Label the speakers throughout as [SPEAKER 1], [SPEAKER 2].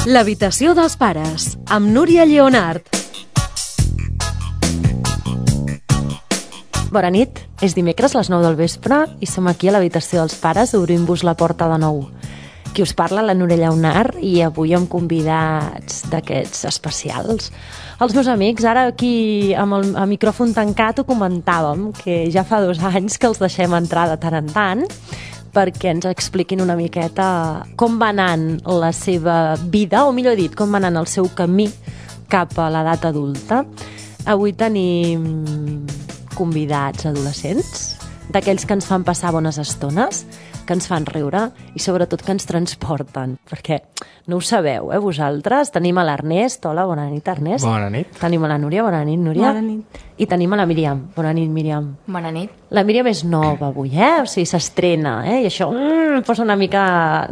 [SPEAKER 1] L'habitació dels pares, amb Núria Lleonart. Bona nit, és dimecres a les 9 del vespre i som aquí a l'habitació dels pares obrint-vos la porta de nou. Qui us parla, la Núria Lleonart, i avui amb convidats d'aquests especials. Els meus amics, ara aquí amb el micròfon tancat ho comentàvem, que ja fa 2 anys que els deixem entrar de tant en tant, perquè ens expliquin una miqueta com va anant la seva vida, o millor dit, com va anant el seu camí cap a l'edat adulta. Avui tenim convidats adolescents, d'aquells que ens fan passar bones estones, que ens fan riure i sobretot que ens transporten, perquè no ho sabeu, vosaltres. Tenim a l'Ernest. Hola, bona nit, Ernest.
[SPEAKER 2] Bona nit.
[SPEAKER 1] Tenim a la Núria. Bona nit, Núria.
[SPEAKER 3] Bona nit.
[SPEAKER 1] I tenim a la Míriam. Bona nit, Míriam.
[SPEAKER 3] Bona nit.
[SPEAKER 1] La Míriam és nova avui, o sigui, s'estrena, i això em posa una mica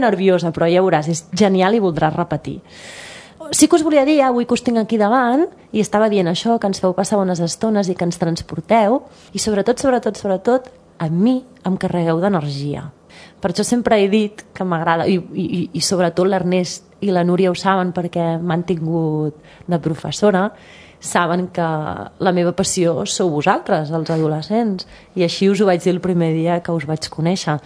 [SPEAKER 1] nerviosa, però ja veuràs, és genial i voldràs repetir. Sí que us volia dir, avui que us tinc aquí davant, i estava dient això, que ens feu passar bones estones i que ens transporteu, i sobretot, a mi em carregueu d'energia. Per això sempre he dit que m'agrada, i sobretot l'Ernest i la Núria ho saben perquè m'han tingut de professora, saben que la meva passió sou vosaltres, els adolescents, i així us ho vaig dir el primer dia que us vaig conèixer.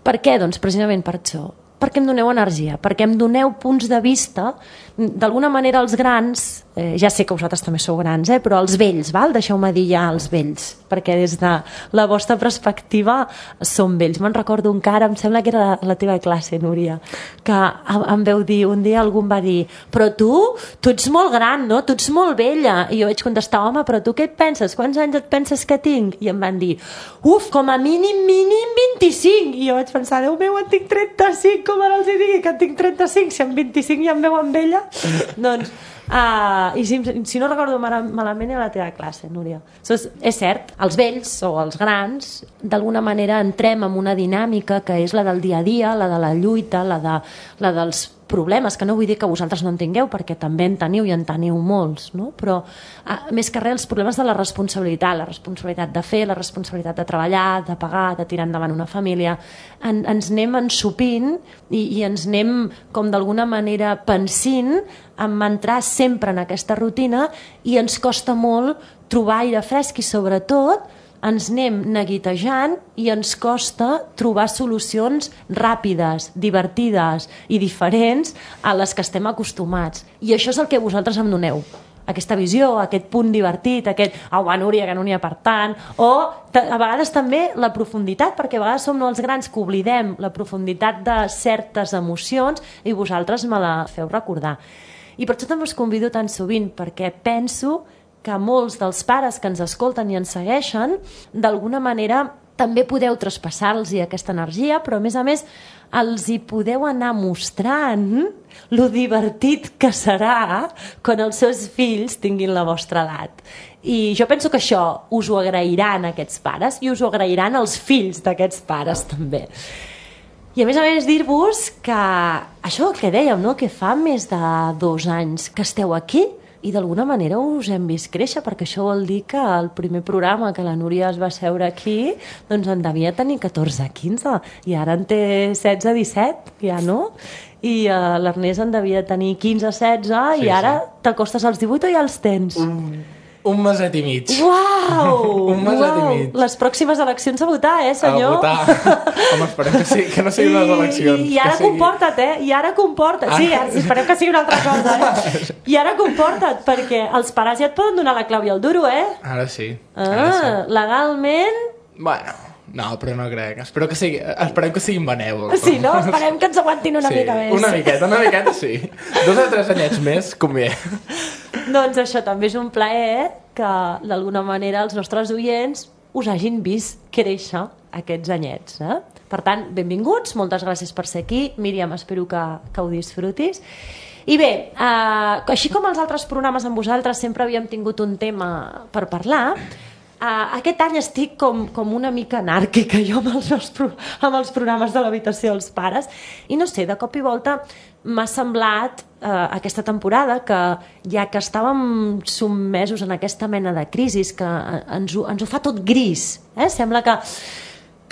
[SPEAKER 1] Per què? Doncs precisament per això. Perquè em doneu energia, perquè em doneu punts de vista. D'alguna manera els grans, ja sé que vosaltres també sou grans, però els vells, deixeu-me dir ja els vells, perquè des de la vostra perspectiva són vells. Me'n recordo un cara, em sembla que era la teva classe, Núria, que em veu dir, un dia algú em va dir, però tu ets molt gran, no? Tu ets molt vella. I jo vaig contestar, home, però tu què et penses? Quants anys et penses que tinc? I em van dir, com a mínim 25. I jo vaig pensar, Déu meu, en tinc 35, com ara els digui que en tinc 35, si en 25 ja em veuen vella. Doncs, i si no recordo malament, era la teva classe, Núria. És cert, els vells o els grans, d'alguna manera entrem en una dinàmica que és la del dia a dia, la de la lluita, la dels problemes, que no vull dir que vosaltres no en tingueu, perquè també en teniu i en teniu molts, no? Però més que res els problemes de la responsabilitat de fer, la responsabilitat de treballar, de pagar, de tirar endavant una família, ens anem ensopint i ens anem com d'alguna manera pensint en entrar sempre en aquesta rutina i ens costa molt trobar aire fresc i sobretot ens anem neguitejant i ens costa trobar solucions ràpides, divertides i diferents a les que estem acostumats. I això és el que vosaltres em doneu. Aquesta visió, aquest punt divertit, aquest va, Núria, que no n'hi ha per tant, o a vegades també la profunditat, perquè a vegades som els grans que oblidem la profunditat de certes emocions i vosaltres me la feu recordar. I per això també us convido tan sovint, perquè penso que molts dels pares que ens escolten i ens segueixen, d'alguna manera també podeu traspassar-los aquesta energia, però a més els hi podeu anar mostrant lo divertit que serà quan els seus fills tinguin la vostra edat. I jo penso que això us ho agrairan aquests pares i us ho agrairan els fills d'aquests pares també. I a més dir-vos que això que dèiem, no? Que fa més de 2 anys que esteu aquí i d'alguna manera us hem vist créixer, perquè això vol dir que el primer programa que la Núria es va seure aquí doncs en devia tenir 14-15 i ara en té 16-17, ja no? I l'Ernest en devia tenir 15-16 i ara t'acostes als 18 o ja els tens?
[SPEAKER 2] Un meset i mig.
[SPEAKER 1] Uau!
[SPEAKER 2] Un meset i mig.
[SPEAKER 1] Les pròximes eleccions a votar, senyor?
[SPEAKER 2] A votar. Home, esperem que no siguin les eleccions.
[SPEAKER 1] I ara comporta't, I ara comporta't. Sí, esperem que sigui una altra cosa, I ara comporta't, perquè els pares ja et poden donar la clau i el duro,
[SPEAKER 2] Ara sí.
[SPEAKER 1] Legalment...
[SPEAKER 2] Bueno, no, però no crec. Esperem que siguin benèvols.
[SPEAKER 1] Sí, no? Esperem que ens aguantin una mica més.
[SPEAKER 2] Una miqueta, sí. 2 o 3 anyets més, convé.
[SPEAKER 1] Doncs això també és un plaer que d'alguna manera els nostres oients us hagin vist créixer aquests anyets. Per tant, benvinguts, moltes gràcies per ser aquí. Míriam, espero que ho disfrutis. I bé, així com els altres programes amb vosaltres sempre havíem tingut un tema per parlar, aquest any estic com una mica anàrquica jo amb els programes de l'habitació dels pares i no sé, de cop i volta m'ha semblat aquesta temporada que ja que estàvem sotmesos en aquesta mena de crisis que ens ho fa tot gris, sembla que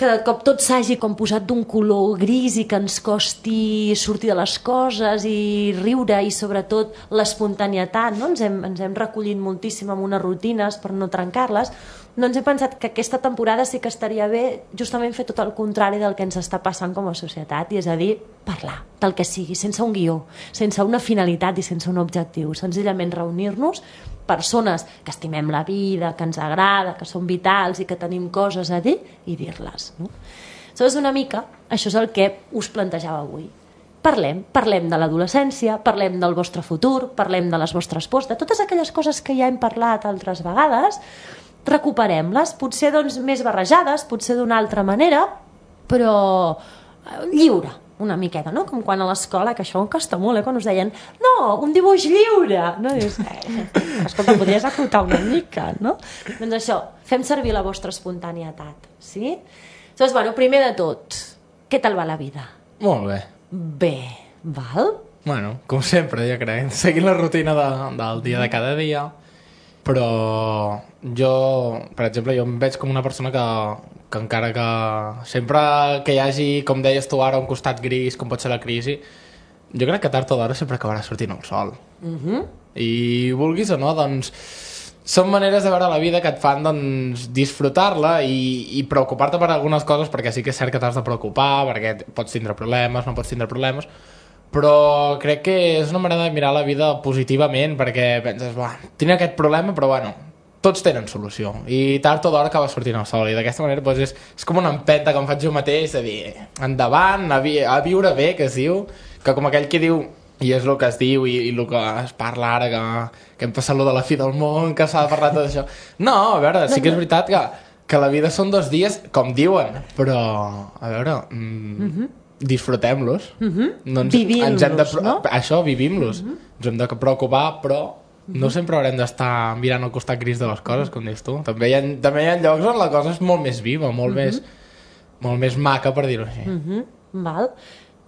[SPEAKER 1] que de cop tot s'hagi com posat d'un color gris i que ens costi sortir de les coses i riure i sobretot l'espontanietat, no? Ens hem recollit moltíssim amb unes rutines per no trencar-les, doncs hem pensat que aquesta temporada sí que estaria bé justament fer tot el contrari del que ens està passant com a societat, i és a dir, parlar del que sigui, sense un guió, sense una finalitat i sense un objectiu, senzillament reunir-nos persones que estimem la vida, que ens agrada, que són vitals i que tenim coses a dir i dir-les, no? Aleshores, una mica, això és el que us plantejava avui. Parlem de l'adolescència, parlem del vostre futur, parlem de les vostres pors, de totes aquelles coses que ja hem parlat altres vegades, recuperem-les, potser doncs més barrejades, potser d'una altra manera, però lliure, una miqueta, no? Com quan a l'escola, que això em costa molt, quan us deien no, un dibuix lliure, no? Dius, escolta, podries acotar una mica, no? Doncs això, fem servir la vostra espontanietat, sí? Llavors, bueno, primer de tot, què tal va la vida?
[SPEAKER 2] Molt bé.
[SPEAKER 1] Bé, val?
[SPEAKER 2] Bueno, com sempre, jo crec, seguint la rutina del dia de cada dia, però jo, per exemple, jo em veig com una persona que encara que sempre que hi hagi, com deies tu ara, un costat gris, com pot ser la crisi, jo crec que tard o d'hora sempre acabarà sortint el sol. I vulguis o no, doncs són maneres de veure la vida que et fan doncs, disfrutar-la i preocupar-te per algunes coses, perquè sí que és cert que t'has de preocupar, perquè pots tindre problemes, no pots tindre problemes, però crec que és una manera de mirar la vida positivament, perquè penses, tinc aquest problema, però bueno, tots tenen solució i tard o d'hora acaba sortint el sol, i d'aquesta manera doncs, és com una empenta que em faig jo mateix de dir, endavant, a viure bé, que es diu, que com aquell que diu, i és el que es diu i el que es parla ara, que hem passat lo de la fi del món, que s'ha de parlar tot això. No, a veure, sí que és veritat que la vida són 2 dies, com diuen, però a veure, disfrutem-los,
[SPEAKER 1] vivim-los, no?
[SPEAKER 2] Això, vivim-los, ens hem de preocupar, però no sempre haurem d'estar mirant el costat gris de les coses, com dius tu. També hi ha llocs on la cosa és molt més viva, molt més maca, per dir-ho així.
[SPEAKER 1] Val.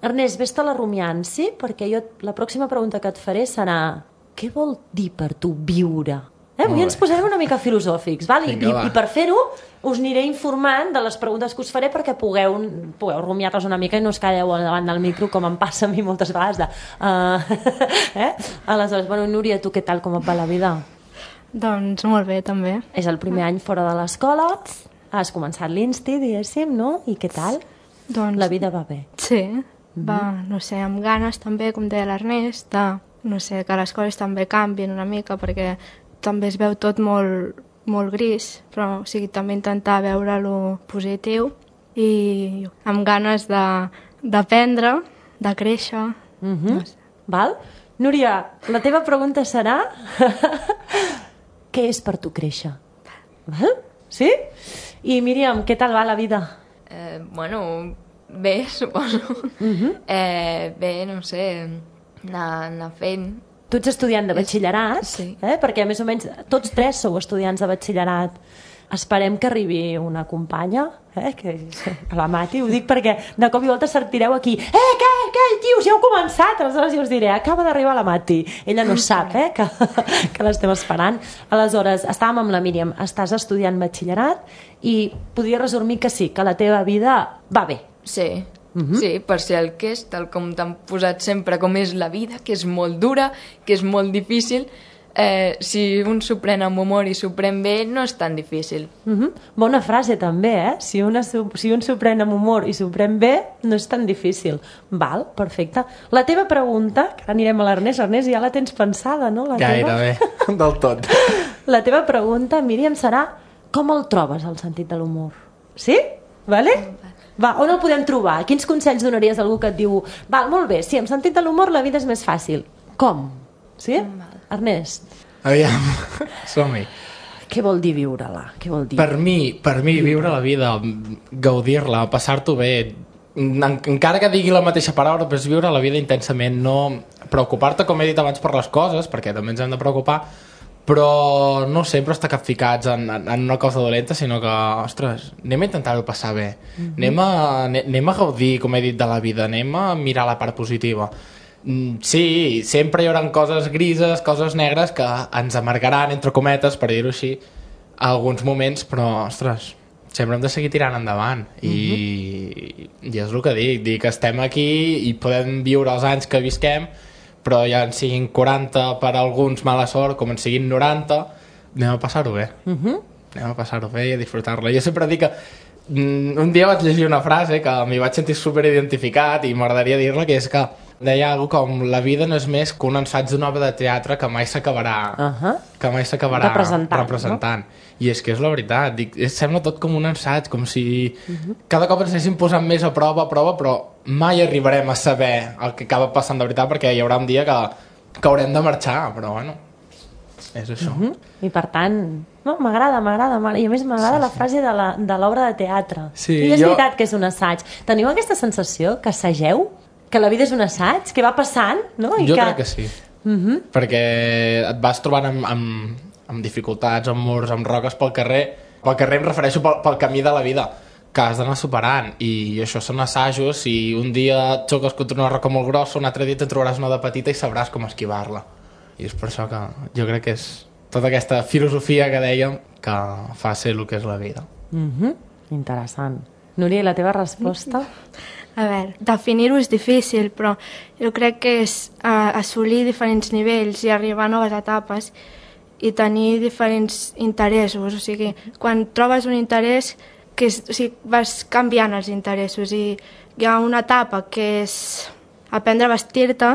[SPEAKER 1] Ernest, vés-te la rumiant, sí? Perquè la pròxima pregunta que et faré serà què vol dir per tu viure? Avui ens posarem una mica filosòfics, val? I per fer-ho us aniré informant de les preguntes que us faré perquè pugueu rumiar-les una mica i no us calleu davant del micro, com em passa a mi moltes vegades. Aleshores, bueno, Núria, tu què tal, com et va la vida?
[SPEAKER 3] Doncs molt bé, també.
[SPEAKER 1] És el primer any fora de l'escola, has començat l'Insti, diguéssim, no? I què tal?
[SPEAKER 3] Doncs
[SPEAKER 1] la vida va bé?
[SPEAKER 3] Sí, va, no sé, amb ganes també, com deia l'Ernest, no sé, que les coses també canvien una mica, perquè també es veu tot molt gris, però o sigui, també intentar veure lo positiu i amb ganes d'aprendre, de créixer. No sé.
[SPEAKER 1] Val? Núria, la teva pregunta serà què és per tu créixer? Val? Sí? I Míriam, què tal va la vida?
[SPEAKER 4] Bueno, bé, suposo. Bé, no sé, anar fent.
[SPEAKER 1] Tu ets estudiant de batxillerat,
[SPEAKER 4] sí.
[SPEAKER 1] Perquè més o menys tots 3 sou estudiants de batxillerat. Esperem que arribi una companya, que la Mati, ho dic perquè de cop i volta sortireu aquí, què, tios, ja heu començat, aleshores jo us diré, acaba d'arribar la Mati, ella no sap que l'estem esperant. Aleshores, estàvem amb la Míriam, estàs estudiant batxillerat i podria resumir que sí, que la teva vida va bé.
[SPEAKER 4] Sí. Sí, per ser el que és, tal com t'han posat sempre com és la vida, que és molt dura, que és molt difícil, si un s'ho pren amb humor i s'ho pren bé, no és tan difícil.
[SPEAKER 1] Bona frase també, si un s'ho pren amb humor i s'ho pren bé, no és tan difícil. Val, perfecte. La teva pregunta, que ara anirem a l'Ernest, ja la tens pensada, no?
[SPEAKER 2] Gairebé, del tot.
[SPEAKER 1] La teva pregunta, Míriam, serà com el trobes, el sentit de l'humor? Sí? Vale? Va, on el podem trobar? Quins consells donaries a algú que et diu val, molt bé, sí, amb sentit de l'humor la vida és més fàcil. Com? Sí? Ernest?
[SPEAKER 2] Aviam, som-hi.
[SPEAKER 1] Què vol dir viure-la? Què vol dir?
[SPEAKER 2] Per mi viure la vida, gaudir-la, passar-t'ho bé, encara que digui la mateixa paraula, però és viure la vida intensament, no preocupar-te, com he dit abans, per les coses, perquè també ens hem de preocupar, però no sempre estar capficats en una cosa dolenta, sinó que, ostres, anem a intentar-ho passar bé, anem a gaudir, com he dit, de la vida, anem a mirar la part positiva. Sí, sempre hi haurà coses grises, coses negres que ens amargaran, entre cometes, per dir-ho així, a alguns moments, però, ostres, sempre hem de seguir tirant endavant i és el que dic que estem aquí i podem viure els anys que visquem, però ja en siguin 40 per alguns mala sort com en siguin 90, anem a passar-ho bé anem a passar-ho bé i a disfrutar-la. Jo sempre dic que un dia vaig llegir una frase que m'hi vaig sentir superidentificat i m'agradaria dir-la, que és que deia alguna com la vida no és més que un ensaig d'una obra de teatre que mai s'acabarà representant. No? I és que és la veritat, dic, sembla tot com un ensaig, com si cada cop ens anessin posant més a prova, però mai arribarem a saber el que acaba passant de veritat, perquè hi haurà un dia que haurem de marxar, però bueno, és això.
[SPEAKER 1] I per tant, no, m'agrada, i a més m'agrada la frase de l'obra de teatre.
[SPEAKER 2] Sí,
[SPEAKER 1] I és veritat que és un assaig. Teniu aquesta sensació que assageu? Que la vida és un assaig? Que va passant? No?
[SPEAKER 2] Jo crec que sí. Perquè et vas trobant amb dificultats, amb murs, amb roques pel carrer. Pel carrer em refereixo pel camí de la vida, que has d'anar superant. I això són assajos, i un dia et xoques contra una roca molt grossa, un altre dia te'n trobaràs una de petita i sabràs com esquivar-la. I és per això que jo crec que és tota aquesta filosofia que dèiem que fa ser el que és la vida.
[SPEAKER 1] Interessant. Núria, la teva resposta?
[SPEAKER 3] A veure, definir-ho és difícil, però jo crec que és assolir diferents nivells i arribar a noves etapes i tenir diferents interessos. O sigui, quan trobes un interès, vas canviant els interessos, i hi ha una etapa que és aprendre a vestir-te,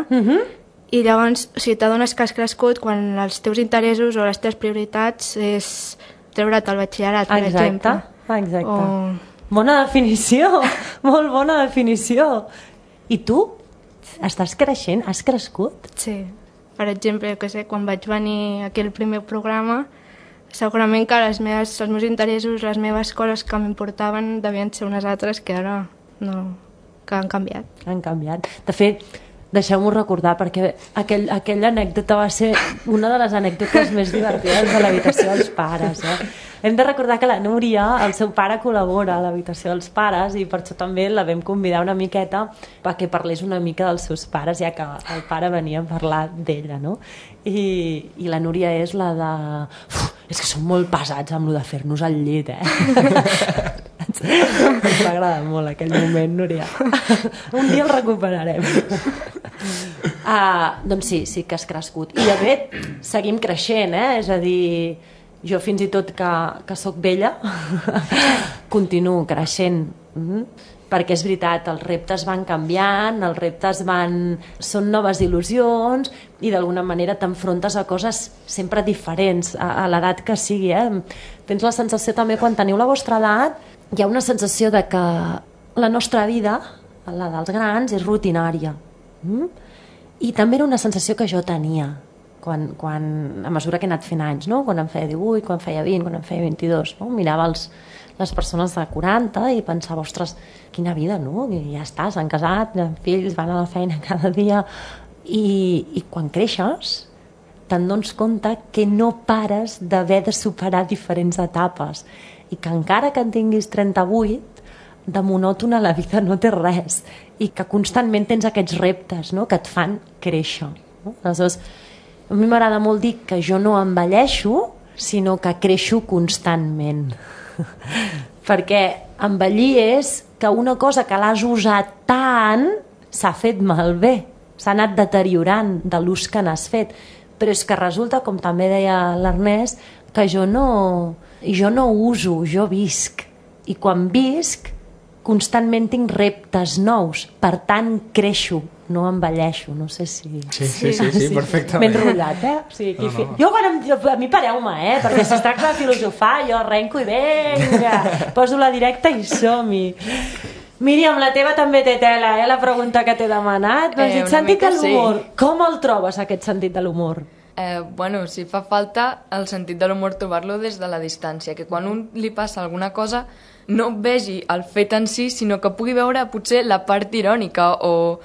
[SPEAKER 3] i llavors t'adones que has crescut quan els teus interessos o les teves prioritats és treure't al batxillerat, per exemple.
[SPEAKER 1] Exacte. Bona definició, molt bona definició. I tu? Estàs creixent? Has crescut?
[SPEAKER 3] Sí. Per exemple, quan vaig venir aquí al primer programa, segurament que els meus interessos, les meves coses que m'importaven devien ser unes altres que ara no, que han canviat.
[SPEAKER 1] Han canviat. De fet, deixeu-m'ho recordar, perquè aquella anècdota va ser una de les anècdotes més divertides de l'habitació dels pares. Hem de recordar que la Núria, el seu pare, col·labora a l'habitació dels pares, i per això també la vam convidar una miqueta perquè parlés una mica dels seus pares, ja que el pare venia a parlar d'ella, no? I la Núria és la de... és que són molt pesats amb el de fer-nos el llit, Ens va agradar molt aquell moment, Núria. Un dia el recuperarem. Doncs sí que has crescut. I de fet, seguim creixent, és a dir, jo fins i tot que soc vella continuo creixent, perquè és veritat, els reptes van canviant, els reptes són noves il·lusions, i d'alguna manera t'enfrontes a coses sempre diferents a l'edat que sigui. Tens la sensació també, quan teniu la vostra edat, hi ha una sensació de que la nostra vida, la dels grans, és rutinària. I també era una sensació que jo tenia a mesura que he anat fent anys, no? Quan em feia 18, quan em feia 20, quan em feia 22, no? Mirava les persones de 40 i pensava, ostres, quina vida, no? I ja està, s'han casat, han fills, van a la feina cada dia, i quan creixes te'n dones compte que no pares d'haver de superar diferents etapes, i que encara que en tinguis 38, de monòtona la vida no té res, i que constantment tens aquests reptes, no? Que et fan créixer, no? Aleshores, a mi m'agrada molt dir que jo no envelleixo, sinó que creixo constantment. Perquè envellir és que una cosa que l'has usat tant s'ha fet malbé, s'ha anat deteriorant de l'ús que n'has fet. Però és que resulta, com també deia l'Ernest, que jo no uso, jo visc. I quan visc, constantment tinc reptes nous, per tant creixo, no envelleixo, no sé si...
[SPEAKER 2] Sí, perfectament.
[SPEAKER 1] Ben rotllat, O sigui, no. Jo, a mi pareu-me, perquè si es tracta de filosofar, jo arrenco i vinga, poso la directa i som-hi. Míriam, la teva també té tela, la pregunta que t'he demanat. M'has dit sentit de l'humor. Sí. Com el trobes, aquest sentit de l'humor?
[SPEAKER 4] Si fa falta el sentit de l'humor trobar-lo des de la distància, que quan un li passa alguna cosa no vegi el fet en si, sinó que pugui veure potser la part irònica, o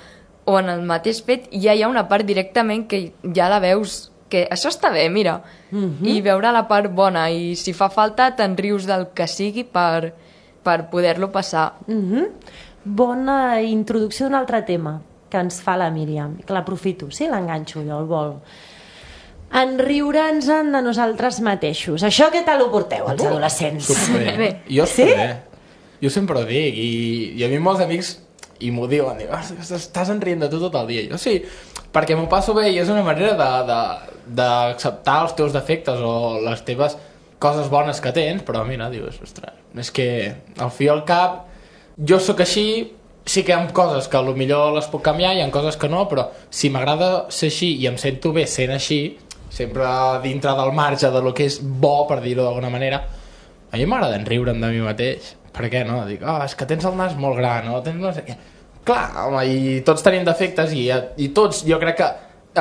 [SPEAKER 4] en el mateix fet ja hi ha una part directament que ja la veus, que això està bé, mira, i veure la part bona, i si fa falta te'n rius del que sigui per poder-lo passar.
[SPEAKER 1] Bona introducció d'un altre tema que ens fa la Míriam, que l'aprofito, sí, l'enganxo jo, el vol. En riure'ns de nosaltres mateixos. Això què tal ho porteu, els adolescents?
[SPEAKER 2] Superbé. Jo superbé. Jo sempre ho dic, i a mi molts amics i m'ho diuen, estàs enrient de tu tot el dia. Jo sí, perquè m'ho passo bé i és una manera d'acceptar els teus defectes o les teves coses bones que tens, però mira, dius, ostres, és que al fi i al cap jo sóc així, sí que hi ha coses que potser les puc canviar, hi ha coses que no, però si m'agrada ser així i em sento bé sent així, sempre dintre del marge de lo que és bo, per dir-ho d'alguna manera, a mi m'agrada enriure'm de mi mateix. Per què no? Dic, és que tens el nas molt gran, no? Tens no sé què. Clar, home, i tots tenim defectes i tots, jo crec que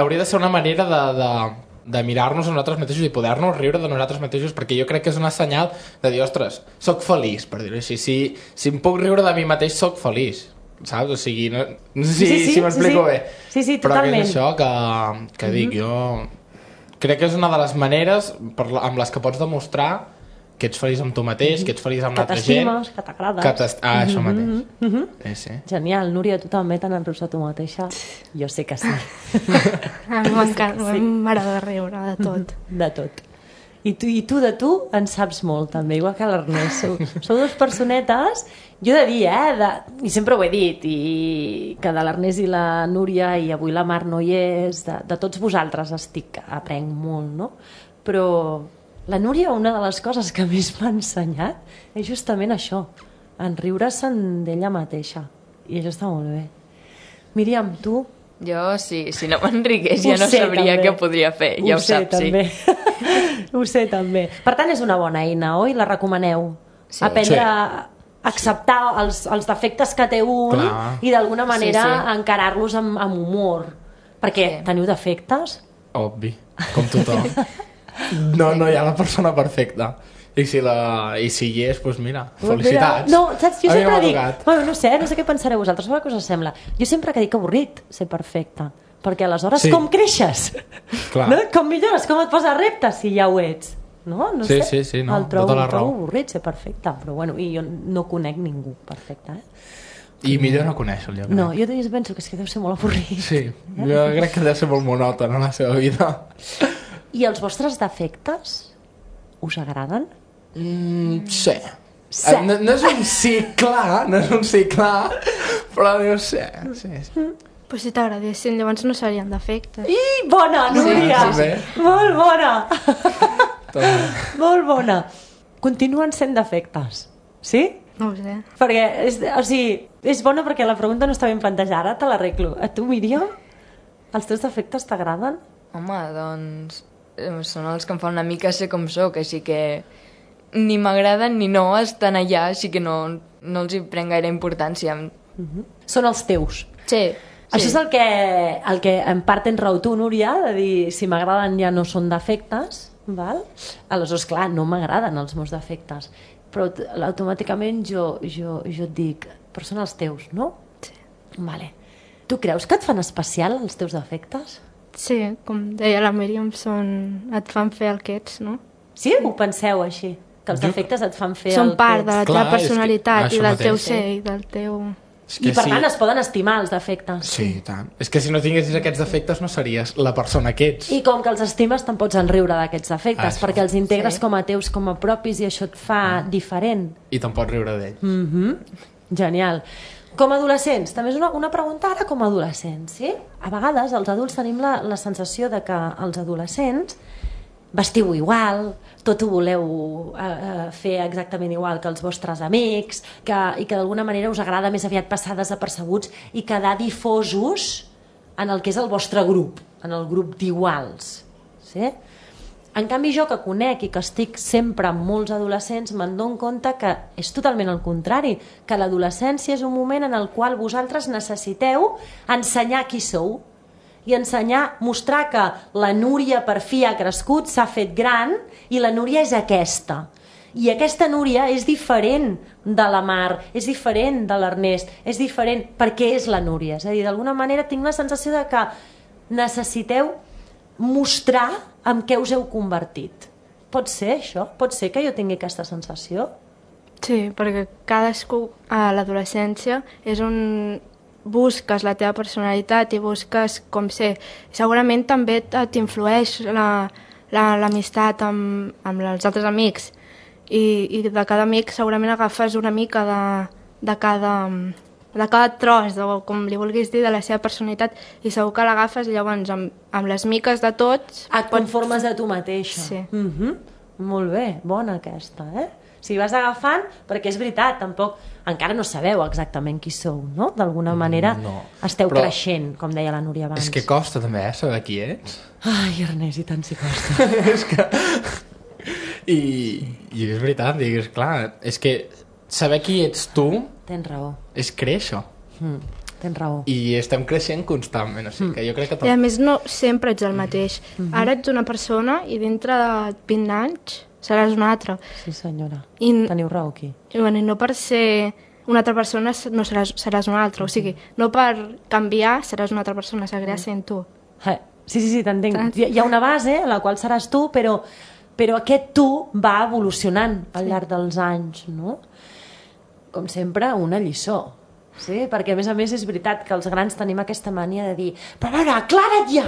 [SPEAKER 2] hauria de ser una manera de mirar-nos a nosaltres mateixos i poder-nos riure de nosaltres mateixos, perquè jo crec que és una senyal de dir, ostres, soc feliç, per dir-ho així. Si em puc riure de mi mateix, soc feliç, saps? O sigui, no sé si m'explico bé.
[SPEAKER 1] Sí,
[SPEAKER 2] però
[SPEAKER 1] totalment.
[SPEAKER 2] que és això que dic, jo crec que és una de les maneres amb les que pots demostrar que ets feliç amb tu mateix, que ets feliç amb l'altra gent.
[SPEAKER 1] Que t'estimes, que t'agrades.
[SPEAKER 2] Això mateix. Sí.
[SPEAKER 1] Genial. Núria, tu també te n'enrius de tu mateixa? Jo sé que sí.
[SPEAKER 3] A mi m'encanta, m'agrada riure de tot.
[SPEAKER 1] De tot. I tu de tu en saps molt, també, igual que l'Ernest. Sou dues personetes, jo he de dir, i sempre ho he dit, i que de l'Ernest i la Núria, i avui la Mar no hi és, de tots vosaltres aprenc molt, no? Però la Núria, una de les coses que més m'ha ensenyat és justament això, enriure-se'n d'ella mateixa. I això està molt bé. Míriam, tu?
[SPEAKER 4] Jo, sí, si no m'enriqués ja no sabria què podria fer, ja ho saps,
[SPEAKER 1] també. Ho sé, també. Per tant, és una bona eina, oi? La recomaneu? Sí. Aprendre a acceptar els defectes que té un. Clar. I d'alguna manera encarar-los amb humor. Perquè teniu defectes?
[SPEAKER 2] Obvi, com tothom. No hi ha la persona perfecta. I si hi és, doncs mira, felicitats.
[SPEAKER 1] No, saps, jo sempre dic... Bueno, no sé què pensareu vosaltres, sobre què us sembla. Jo sempre que dic avorrit ser perfecte, perquè aleshores com creixes?
[SPEAKER 2] Clar.
[SPEAKER 1] No? Com millores, com et poses reptes si ja ho ets? No sé.
[SPEAKER 2] Sí, no,
[SPEAKER 1] el trobo avorrit ser perfecte, però bueno, i jo no conec ningú perfecte,
[SPEAKER 2] I millor no conèixer-lo, jo crec.
[SPEAKER 1] No, jo penso que és que deu ser molt avorrit.
[SPEAKER 2] Sí, jo crec que deu ser molt monòton en la seva vida.
[SPEAKER 1] I els vostres defectes us agraden?
[SPEAKER 2] Sí. No és un sí clar, però diu sí.
[SPEAKER 3] Però si t'agradessin, llavors no serien defectes.
[SPEAKER 1] Bona, Núria!
[SPEAKER 2] Sí.
[SPEAKER 1] Molt bona! Molt bona. Continuen sent defectes, sí?
[SPEAKER 3] No ho sé.
[SPEAKER 1] Perquè, és bona perquè la pregunta no està ben plantejada, te l'arreglo. A tu, Míriam, els teus defectes t'agraden?
[SPEAKER 4] Home, doncs són els que em fan una mica ser com soc, així que ni m'agraden ni no estan allà, així que no els hi prenc gaire importància.
[SPEAKER 1] Són els teus.
[SPEAKER 4] Sí.
[SPEAKER 1] Això és el que en part tens raó tu, Núria, de dir si m'agraden ja no són defectes, val? Aleshores, clar, no m'agraden els meus defectes, però automàticament jo et dic, però són els teus, no?
[SPEAKER 3] Sí.
[SPEAKER 1] Vale. Tu creus que et fan especial els teus defectes?
[SPEAKER 3] Sí, com deia la Míriam, et fan fer el que ets, no?
[SPEAKER 1] Sí? Ho penseu així? Que els defectes et fan fer
[SPEAKER 3] són
[SPEAKER 1] el
[SPEAKER 3] part de la teva
[SPEAKER 2] Clar,
[SPEAKER 3] personalitat i del teu
[SPEAKER 2] mateix.
[SPEAKER 3] ser i del teu...
[SPEAKER 1] I per tant es poden estimar els defectes.
[SPEAKER 2] Sí, tant. És que si no tinguessis aquests defectes no series la persona que ets.
[SPEAKER 1] I com que els estimes te'n pots enriure d'aquests defectes, perquè els integres com a teus, com a propis, i això et fa diferent.
[SPEAKER 2] I te'n pots riure d'ells.
[SPEAKER 1] Genial. Com a adolescents, també és una pregunta ara com a adolescents, sí? A vegades els adults tenim la sensació de que els adolescents vestiu igual, tot ho voleu fer exactament igual que els vostres amics, i que d'alguna manera us agrada més aviat passar desapercebuts i quedar difosos en el que és el vostre grup, en el grup d'iguals. Sí? En canvi, jo que conec i que estic sempre amb molts adolescents, me'n dono compte que és totalment el contrari, que l'adolescència és un moment en el qual vosaltres necessiteu ensenyar qui sou, i mostrar que la Núria per fi ha crescut, s'ha fet gran, i la Núria és aquesta. I aquesta Núria és diferent de la Mar, és diferent de l'Ernest, és diferent perquè és la Núria. És a dir, d'alguna manera tinc la sensació de que necessiteu mostrar en què us heu convertit. Pot ser això? Pot ser que jo tingui aquesta sensació?
[SPEAKER 3] Sí, perquè cadascú a l'adolescència és on busques la teva personalitat i busques com ser. Segurament també t'influeix l'amistat amb els altres amics i de cada amic segurament agafes una mica de cada tros, o com li vulguis dir, de la seva personalitat, i segur que l'agafes i llavors amb les miques de tots...
[SPEAKER 1] Et conformes de tu mateixa.
[SPEAKER 3] Sí.
[SPEAKER 1] Molt bé, bona aquesta, O sigui, vas agafant, perquè és veritat, tampoc... Encara no sabeu exactament qui sou, no? D'alguna manera esteu creixent, com deia la Núria abans.
[SPEAKER 2] És que costa també, saber qui ets.
[SPEAKER 1] Ai, Ernest, i tant si costa.
[SPEAKER 2] És que... I és veritat, digues, clar, és que saber qui ets tu...
[SPEAKER 1] Tens raó.
[SPEAKER 2] És créixer.
[SPEAKER 1] Tens raó.
[SPEAKER 2] I estem creixent constantment, o sigui que jo crec que...
[SPEAKER 3] I a més no sempre ets el mateix. Ara ets una persona i dintre de 20 anys seràs una altra.
[SPEAKER 1] Sí, senyora.
[SPEAKER 3] I
[SPEAKER 1] teniu raó aquí.
[SPEAKER 3] I no per ser una altra persona no seràs una altra. O sigui, no per canviar seràs una altra persona, seguiràs sent tu.
[SPEAKER 1] Sí, t'entenc. Hi ha una base a la qual seràs tu, però aquest tu va evolucionant al llarg dels anys, no? Com sempre, una lliçó. Sí, perquè a més és veritat que els grans tenim aquesta mania de dir però a veure, aclara't ja,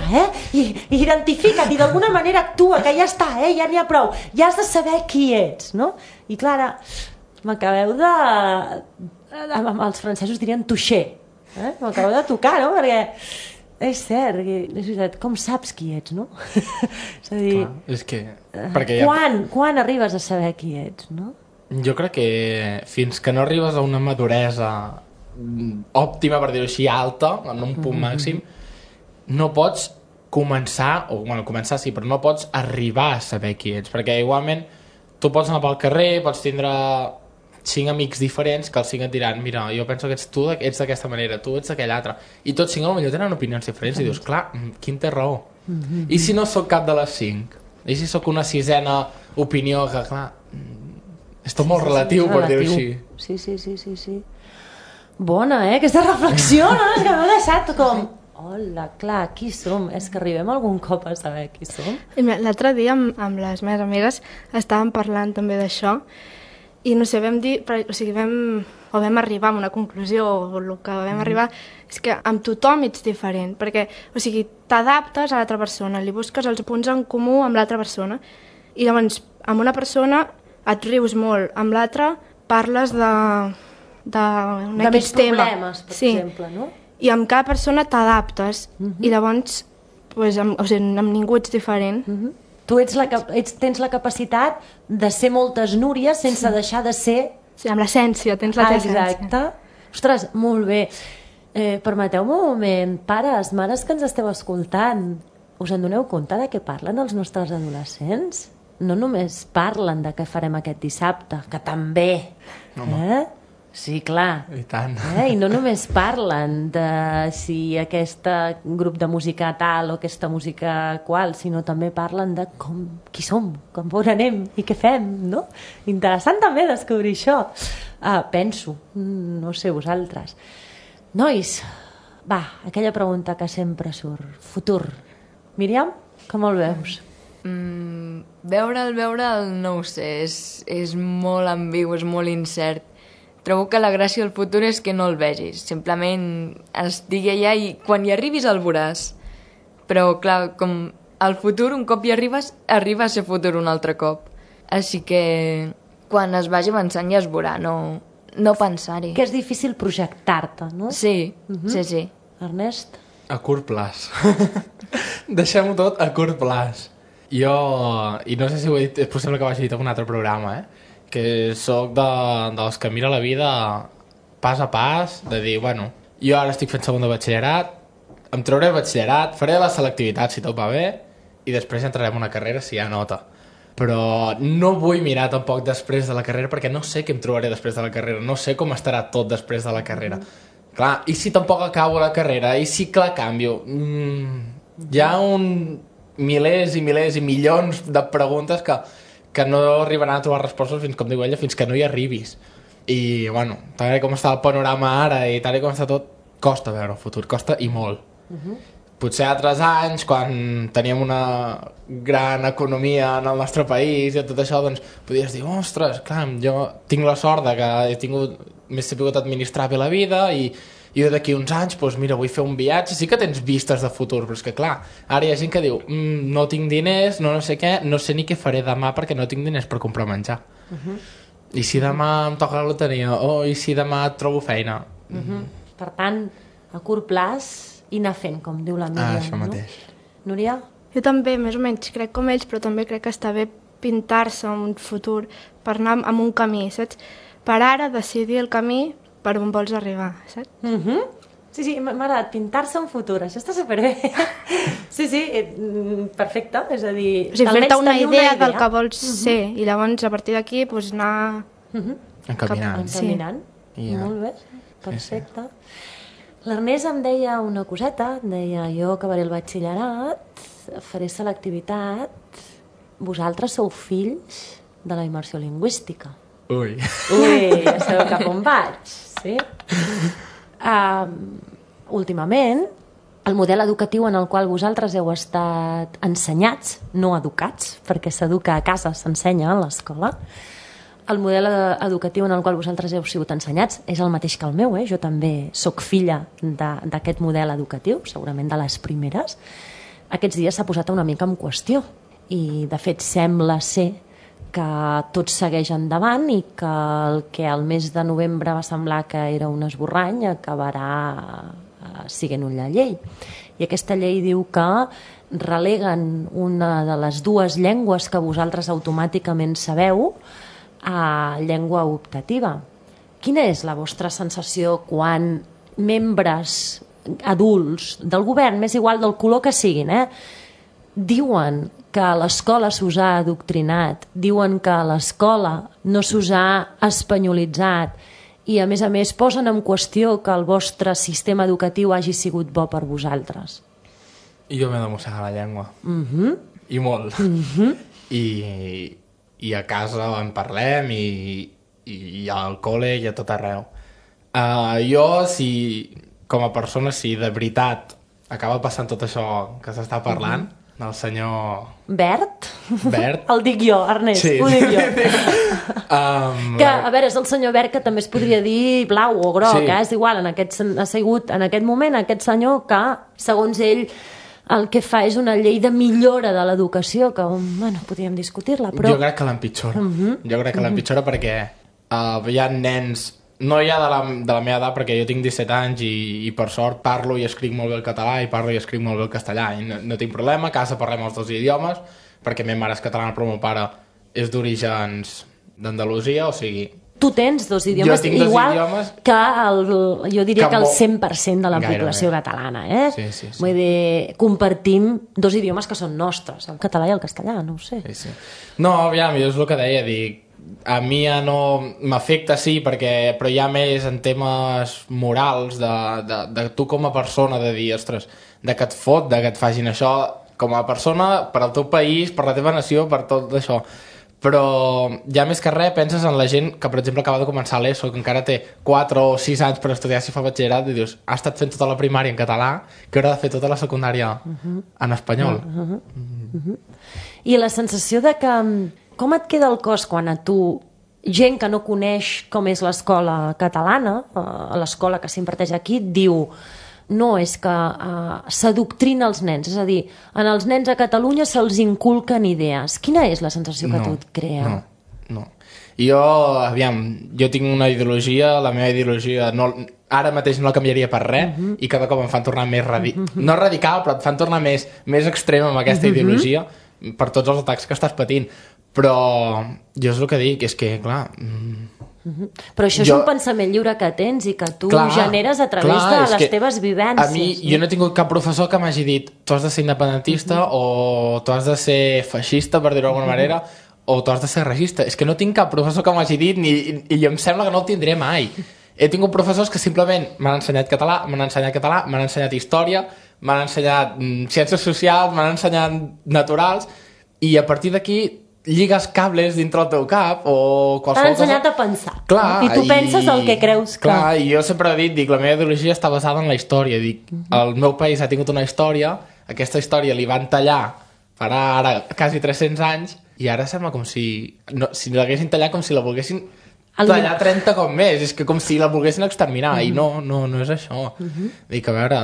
[SPEAKER 1] I identifica't i d'alguna manera actua, que ja està, ja n'hi ha prou, ja has de saber qui ets, no? I Clara, m'acabeu de... els francesos dirien toucher, m'acabeu de tocar, no? Perquè és cert, és veritat, com saps qui ets, no? És a dir,
[SPEAKER 2] clar, és que... Perquè
[SPEAKER 1] quan arribes a saber qui ets, no?
[SPEAKER 2] Jo crec que fins que no arribes a una maduresa òptima, per dir-ho així, alta, en un punt màxim, no pots començar, començar sí, però no pots arribar a saber qui ets, perquè igualment tu pots anar pel carrer, pots tindre 5 amics diferents que els 5 et diran, mira, jo penso que tu ets d'aquesta manera, tu ets d'aquella altra, i tots 5 potser tenen opinions diferents i dius, clar, quin té raó? I si no sóc cap de les 5? I si sóc una 6ena opinió que, clar, és tot molt relatiu, per dir-ho així.
[SPEAKER 1] Sí. Bona, aquesta reflexió, no? És que m'he deixat com... Hola, clar, qui som? És que arribem algun cop a saber qui som.
[SPEAKER 3] L'altre dia amb les meves amigues estàvem parlant també d'això i no sé, vam dir, vam arribar a una conclusió, o el que vam arribar és que amb tothom ets diferent, perquè, o sigui, t'adaptes a l'altra persona, li busques els punts en comú amb l'altra persona i llavors amb una persona et rius molt, amb l'altra parles de
[SPEAKER 1] més problemes, per exemple, no?
[SPEAKER 3] I amb cada persona t'adaptes i llavors amb ningú ets diferent.
[SPEAKER 1] Tu tens la capacitat de ser moltes Núries sense deixar de ser...
[SPEAKER 3] Sí, amb l'essència, tens la essència.
[SPEAKER 1] Exacte. Ostres, molt bé. Permeteu-me un moment, pares, mares que ens esteu escoltant, us en doneu compte de què parlen els nostres adolescents? No només parlen de què farem aquest dissabte, que també, Sí, clar.
[SPEAKER 2] I tant.
[SPEAKER 1] I no només parlen de si aquest grup de música tal o aquesta música qual, sinó també parlen de qui som, com on anem i què fem, no? Interessant també descobrir això. Penso, no sé vosaltres. Nois, va, aquella pregunta que sempre surt. Futur. Míriam, com el veus?
[SPEAKER 4] Veure'l, no ho sé, és molt ambigu, és molt incert. Trobo que la gràcia del futur és que no el vegis, simplement estigui allà i quan hi arribis el veuràs. Però, clar, com el futur, un cop hi arribes, arriba a ser futur un altre cop. Així que quan es vagi avançant ja es veurà, no pensar-hi.
[SPEAKER 1] Que és difícil projectar-te, no?
[SPEAKER 4] Sí, sí.
[SPEAKER 1] Ernest?
[SPEAKER 2] A curt plaç. Deixem-ho tot a curt plaç. Jo, i no sé si ho he dit, és possible que ho hagi dit en un altre programa, que sóc dels que mira la vida pas a pas, de dir, bueno, jo ara estic fent segon de batxillerat, em trauré el batxillerat, faré la selectivitat si tot va bé, i després entrarem a una carrera si hi ha nota. Però no vull mirar tampoc després de la carrera perquè no sé què em trobaré després de la carrera, no sé com estarà tot després de la carrera. Clar, i si tampoc acabo la carrera, i si que la canvio? Hi ha milers i milions de preguntes que no arribaran a trobar respostes fins, com diu ella, fins que no hi arribis. I, bueno, tal com està el panorama ara i tal com està tot, costa veure el futur, costa i molt. Potser altres anys, quan teníem una gran economia en el nostre país i tot això, doncs podies dir, ostres, clar, jo tinc la sort de que m'he sabut administrar bé la vida i i d'aquí uns anys, doncs mira, vull fer un viatge, sí que tens vistes de futur, però és que clar, ara hi ha gent que diu no tinc diners, no sé què, no sé ni què faré demà perquè no tinc diners per comprar menjar. I si demà em toca la loteria, o i si demà trobo feina.
[SPEAKER 1] Per tant, a curt plaç i anar fent, com diu la Míriam.
[SPEAKER 2] Això mateix.
[SPEAKER 1] Núria?
[SPEAKER 3] Jo també, més o menys, crec com ells, però també crec que està bé pintar-se un futur per anar amb un camí, saps? Per ara decidir el camí per on vols arribar, saps?
[SPEAKER 1] Sí, m'ha agradat pintar-se un futur, això està superbé. Sí, perfecte, és a dir...
[SPEAKER 3] O sigui, fer-te una idea del que vols ser, i llavors a partir d'aquí doncs, anar...
[SPEAKER 2] Encaminant.
[SPEAKER 1] Encaminant, molt bé, perfecte. L'Ernest em deia una coseta, em deia, jo acabaré el batxillerat, faré selectivitat, vosaltres sou fills de la immersió lingüística.
[SPEAKER 2] Ui,
[SPEAKER 1] ja sabeu cap on vaig, sí? Últimament, el model educatiu en el qual vosaltres heu estat ensenyats, no educats, perquè s'educa a casa, s'ensenya a l'escola, el model educatiu en el qual vosaltres heu sigut ensenyats és el mateix que el meu, jo també sóc filla d'aquest model educatiu, segurament de les primeres. Aquests dies s'ha posat una mica en qüestió i, de fet, sembla ser que tot segueix endavant i que el que al mes de novembre va semblar que era un esborrany acabarà sent una llei. I aquesta llei diu que releguen una de les dues llengües que vosaltres automàticament sabeu a llengua optativa. Quina és la vostra sensació quan membres adults del govern, m'és igual del color que siguin, diuen que a l'escola s'us ha adoctrinat, diuen que a l'escola no s'us ha espanyolitzat i, a més, posen en qüestió que el vostre sistema educatiu hagi sigut bo per vosaltres?
[SPEAKER 2] jo m'he de mossegar la llengua. I molt. I a casa en parlem i al col·le i a tot arreu. Jo, com a persona, si de veritat acaba passant tot això que s'està parlant, del senyor...
[SPEAKER 1] Bert?
[SPEAKER 2] Bert?
[SPEAKER 1] El dic jo, Ernest,
[SPEAKER 2] Sí.
[SPEAKER 1] ho dic jo. Que, a veure, és el senyor Bert que també es podria dir blau o groc,
[SPEAKER 2] Sí.
[SPEAKER 1] és igual, ha sigut en aquest moment aquest senyor que, segons ell, el que fa és una llei de millora de l'educació, que, bueno, podríem discutir-la, però...
[SPEAKER 2] Jo crec que l'empitjora. Jo crec que l'empitjora perquè hi ha nens... No hi ha de la meva edat, perquè jo tinc 17 anys i per sort parlo i escric molt bé el català i parlo i escric molt bé el castellà i no tinc problema, a casa parlem els dos idiomes perquè meva mare és catalana però el meu pare és d'orígens d'Andalusia, o sigui...
[SPEAKER 1] Tu tens dos idiomes,
[SPEAKER 2] Jo tinc dos
[SPEAKER 1] igual
[SPEAKER 2] idiomes
[SPEAKER 1] que jo diria que el
[SPEAKER 2] molt-
[SPEAKER 1] 100% de la
[SPEAKER 2] Gairebé.
[SPEAKER 1] població catalana,
[SPEAKER 2] Sí.
[SPEAKER 1] Vull dir, compartim dos idiomes que són nostres, el català i el castellà, no ho sé.
[SPEAKER 2] Sí. No, aviam, jo és el que deia, dic, a mi ja no m'afecta, sí, però hi ha més en temes morals de tu com a persona, de dir, ostres, de que et fot, de que et facin això com a persona, per al teu país, per la teva nació, per tot això. Però ja més que res penses en la gent que, per exemple, acaba de començar l'ESO, que encara té 4 o 6 anys per estudiar si fa batxillerat, i dius, ha estat fent tota la primària en català, que haurà de fer tota la secundària en espanyol.
[SPEAKER 1] I la sensació de que... Com et queda el cos quan a tu, gent que no coneix com és l'escola catalana, l'escola que s'imparteix aquí, et diu no, és que s'adoctrina els nens, és a dir, en els nens a Catalunya se'ls inculquen idees. Quina és la sensació que tu et crea?
[SPEAKER 2] No. Jo tinc una ideologia, la meva ideologia ara mateix no la canviaria per res i cada cop em fan tornar més no radical, però et fan tornar més extrem amb aquesta ideologia per tots els atacs que estàs patint. Però jo és el que dic, és que, clar...
[SPEAKER 1] Però això és un pensament lliure que tens i que tu generes a través de les teves vivències.
[SPEAKER 2] A mi, jo no he tingut cap professor que m'hagi dit tu has de ser independentista o tu has de ser feixista, per dir-ho d'alguna manera, o tu has de ser racista. És que no tinc cap professor que m'hagi dit i em sembla que no el tindré mai. He tingut professors que simplement m'han ensenyat català, m'han ensenyat història, m'han ensenyat ciències socials, m'han ensenyat naturals, i a partir d'aquí lligues cables dintre el teu cap o qualsevol cosa...
[SPEAKER 1] T'han ensenyat a pensar.
[SPEAKER 2] Clar,
[SPEAKER 1] I tu penses el que creus que...
[SPEAKER 2] Clar, i jo sempre he dit, la meva ideologia està basada en la història. El meu país ha tingut una història, aquesta història li van tallar farà ara quasi 300 anys i ara sembla com si l'haguessin tallat com si la volguessin tallar 30 com més, és que com si la volguessin exterminar, i no és això. Dic, a veure,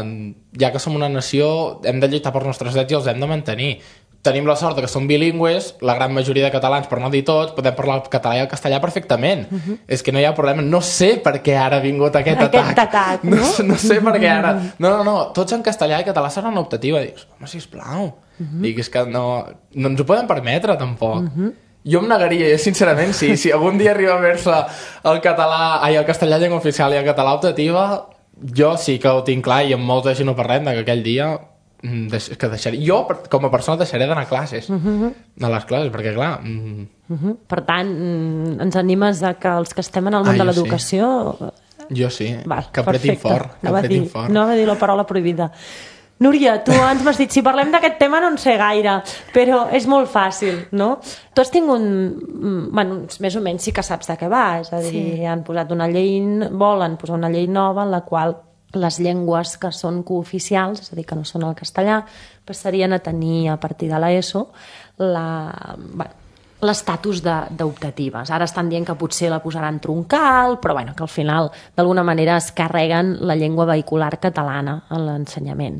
[SPEAKER 2] ja que som una nació, hem de lluitar per nostres drets i els hem de mantenir. Tenim la sort que som bilingües, la gran majoria de catalans, per no dir tots, podem parlar el català i el castellà perfectament. És que no hi ha problema. No sé per què ara ha vingut aquest atac. No sé per què ara. No, tots en castellà i català seran optativa. Dius, home, sisplau. Dic, és que no ens ho podem permetre, tampoc. Jo em negaria, sincerament, si algun dia arriba a veure-se el castellà llengua oficial i el català optativa, jo sí que ho tinc clar i amb molta gent ho parlem, que aquell dia que deixaré, jo com a persona deixaré d'anar a classes de les classes, perquè clar
[SPEAKER 1] Per tant, ens animes a que els que estem en el món de l'educació
[SPEAKER 2] jo sí, que apretin fort,
[SPEAKER 1] no va dir la paraula prohibida. Núria, tu ens m'has dit, si parlem d'aquest tema no en sé gaire, però és molt fàcil, no? Tu has tingut, bueno, més o menys sí que saps de què va, és a dir, han posat una llei, volen posar una llei nova en la qual les llengües que són cooficials, és a dir, que no són el castellà, passarien a tenir a partir de l'ESO l'estatus d'optatives. Ara estan dient que potser la posaran troncal, però bueno, que al final d'alguna manera es carreguen la llengua vehicular catalana en l'ensenyament.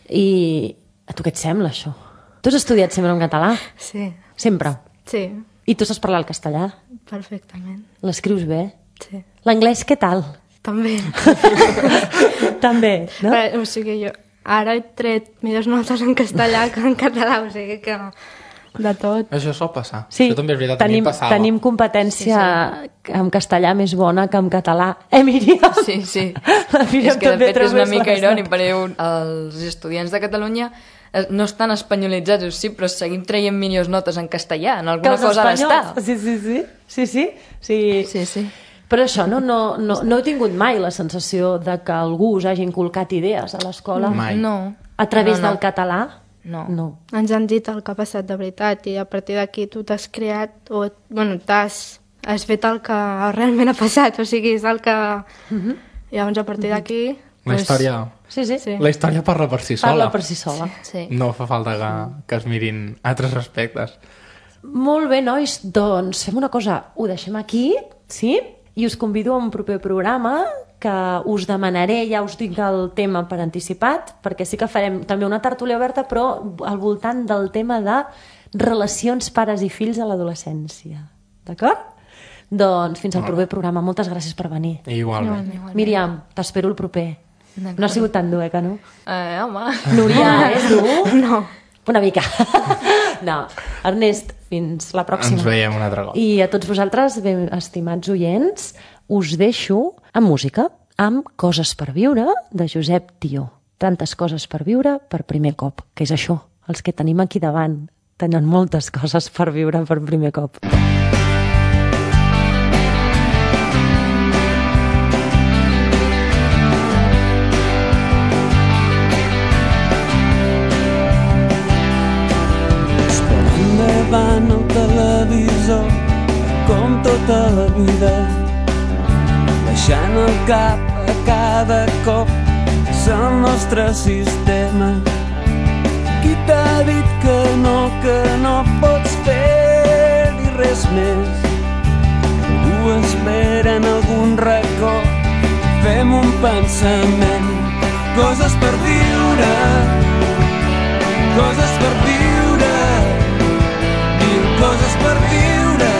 [SPEAKER 1] I a tu què et sembla, això? Tu has estudiat sempre en català?
[SPEAKER 3] Sí.
[SPEAKER 1] Sempre?
[SPEAKER 3] Sí.
[SPEAKER 1] I tu saps parlar el castellà?
[SPEAKER 3] Perfectament.
[SPEAKER 1] L'escrius bé?
[SPEAKER 3] Sí.
[SPEAKER 1] L'anglès què tal?
[SPEAKER 3] També.
[SPEAKER 1] També, no?
[SPEAKER 3] O sigui, jo ara he tret millors notes en castellà que en català, o sigui que de tot.
[SPEAKER 2] Això sol passar.
[SPEAKER 1] Sí,
[SPEAKER 2] això també és veritat,
[SPEAKER 1] tenim competència en castellà més bona que en català. Míriam?
[SPEAKER 4] Sí. És que de fet és una mica irònic, perquè els estudiants de Catalunya no estan espanyolitzats, sí, però seguim traient millors notes en castellà, en alguna cosa ha d'estar.
[SPEAKER 1] Sí. Però això, no he tingut mai la sensació de que algú us hagi inculcat idees a l'escola?
[SPEAKER 2] Mai.
[SPEAKER 4] No.
[SPEAKER 1] A través del català?
[SPEAKER 4] No.
[SPEAKER 3] Ens han dit el que ha passat de veritat i a partir d'aquí tu t'has creat o, bueno, has fet el que realment ha passat, o sigui, és el que... Llavors, a partir d'aquí...
[SPEAKER 2] La història...
[SPEAKER 1] Sí.
[SPEAKER 2] La història parla per si sola.
[SPEAKER 1] Parla per si sola.
[SPEAKER 4] Sí.
[SPEAKER 2] No fa falta que es mirin altres aspectes.
[SPEAKER 1] Molt bé, nois, doncs fem una cosa, ho deixem aquí, sí? I us convido a un proper programa que us demanaré, ja us dic el tema per anticipat, perquè sí que farem també una tertúlia oberta, però al voltant del tema de relacions pares i fills a l'adolescència. D'acord? Doncs fins al proper programa. Moltes gràcies per venir.
[SPEAKER 2] Igualment.
[SPEAKER 1] Míriam, t'espero el proper. No ha sigut tan dur, que no?
[SPEAKER 4] Home.
[SPEAKER 1] Núria, és dur?
[SPEAKER 3] No.
[SPEAKER 1] Una mica. No. Ernest, fins la pròxima.
[SPEAKER 2] Ens veiem un altre cop.
[SPEAKER 1] I a tots vosaltres, estimats oients, us deixo amb música, amb Coses per viure, de Josep Tió. Tantes coses per viure per primer cop, que és això, els que tenim aquí davant. Tenen moltes coses per viure per primer cop.
[SPEAKER 5] Davant el televisor com tota la vida, baixant el cap a cada cop és el nostre sistema. Qui t'ha dit que no pots fer-hi res més? Algú espera en algun racó, fem un pensament. Coses per viure, coses per viure, coses per viure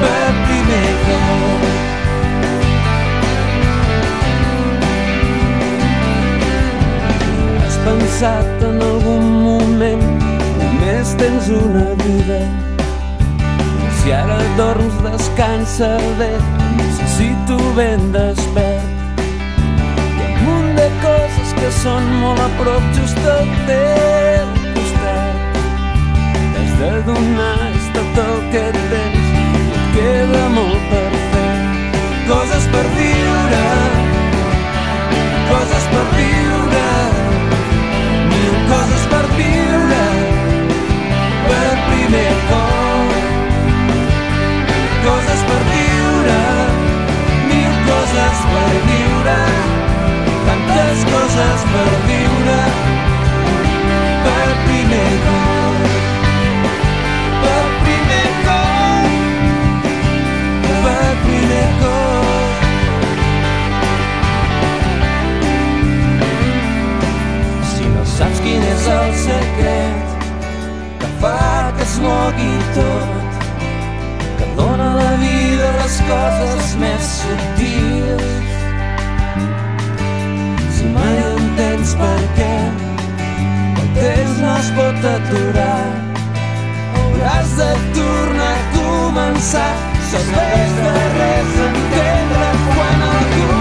[SPEAKER 5] per primer cop. Has pensat en algun moment només tens una vida? Si ara dorms descansa bé, necessito ben despert. Hi ha un munt de coses que són molt a prop just al teu costat. De donar és tot el que tens i et queda molt per fer. Coses per viure, coses per viure, mil coses per viure per primer cop. Coses per viure, mil coses per viure, tantes coses per viure per primer cop. Per primer cop. coses més subtils. Si mai entens per què el temps no es pot aturar, hauràs de tornar a començar. Serveix de res entendre quan algú